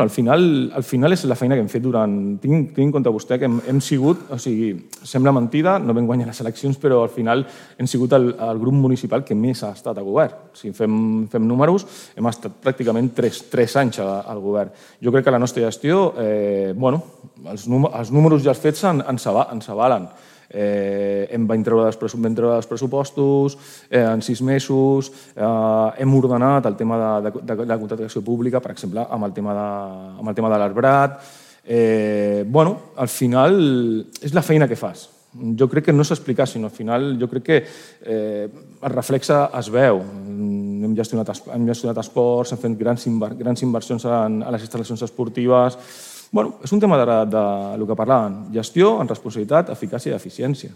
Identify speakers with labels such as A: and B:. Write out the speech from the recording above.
A: Al final és la feina que hem fet durant... Tinc en compte vostè que hem sigut, o sigui, sembla mentida, no vam guanyar les eleccions, però al final hem sigut el grup municipal que més ha estat a govern. Si fem números, hem estat pràcticament 3 anys al govern. Jo crec que la nostra gestió, els números ja fets ens avalen. Vam treure els pressupostos en 6 mesos, hem ordenat el tema de la contractació pública, per exemple, amb el tema de l'arbrat. Al final és la feina que fas. Jo crec que no s'explica, sinó al final jo crec que el reflexe es veu. Hem gestionat esports, hem fet grans inversions a les instal·lacions esportives. És un tema del que parlàvem, gestió amb responsabilitat, eficàcia i eficiència.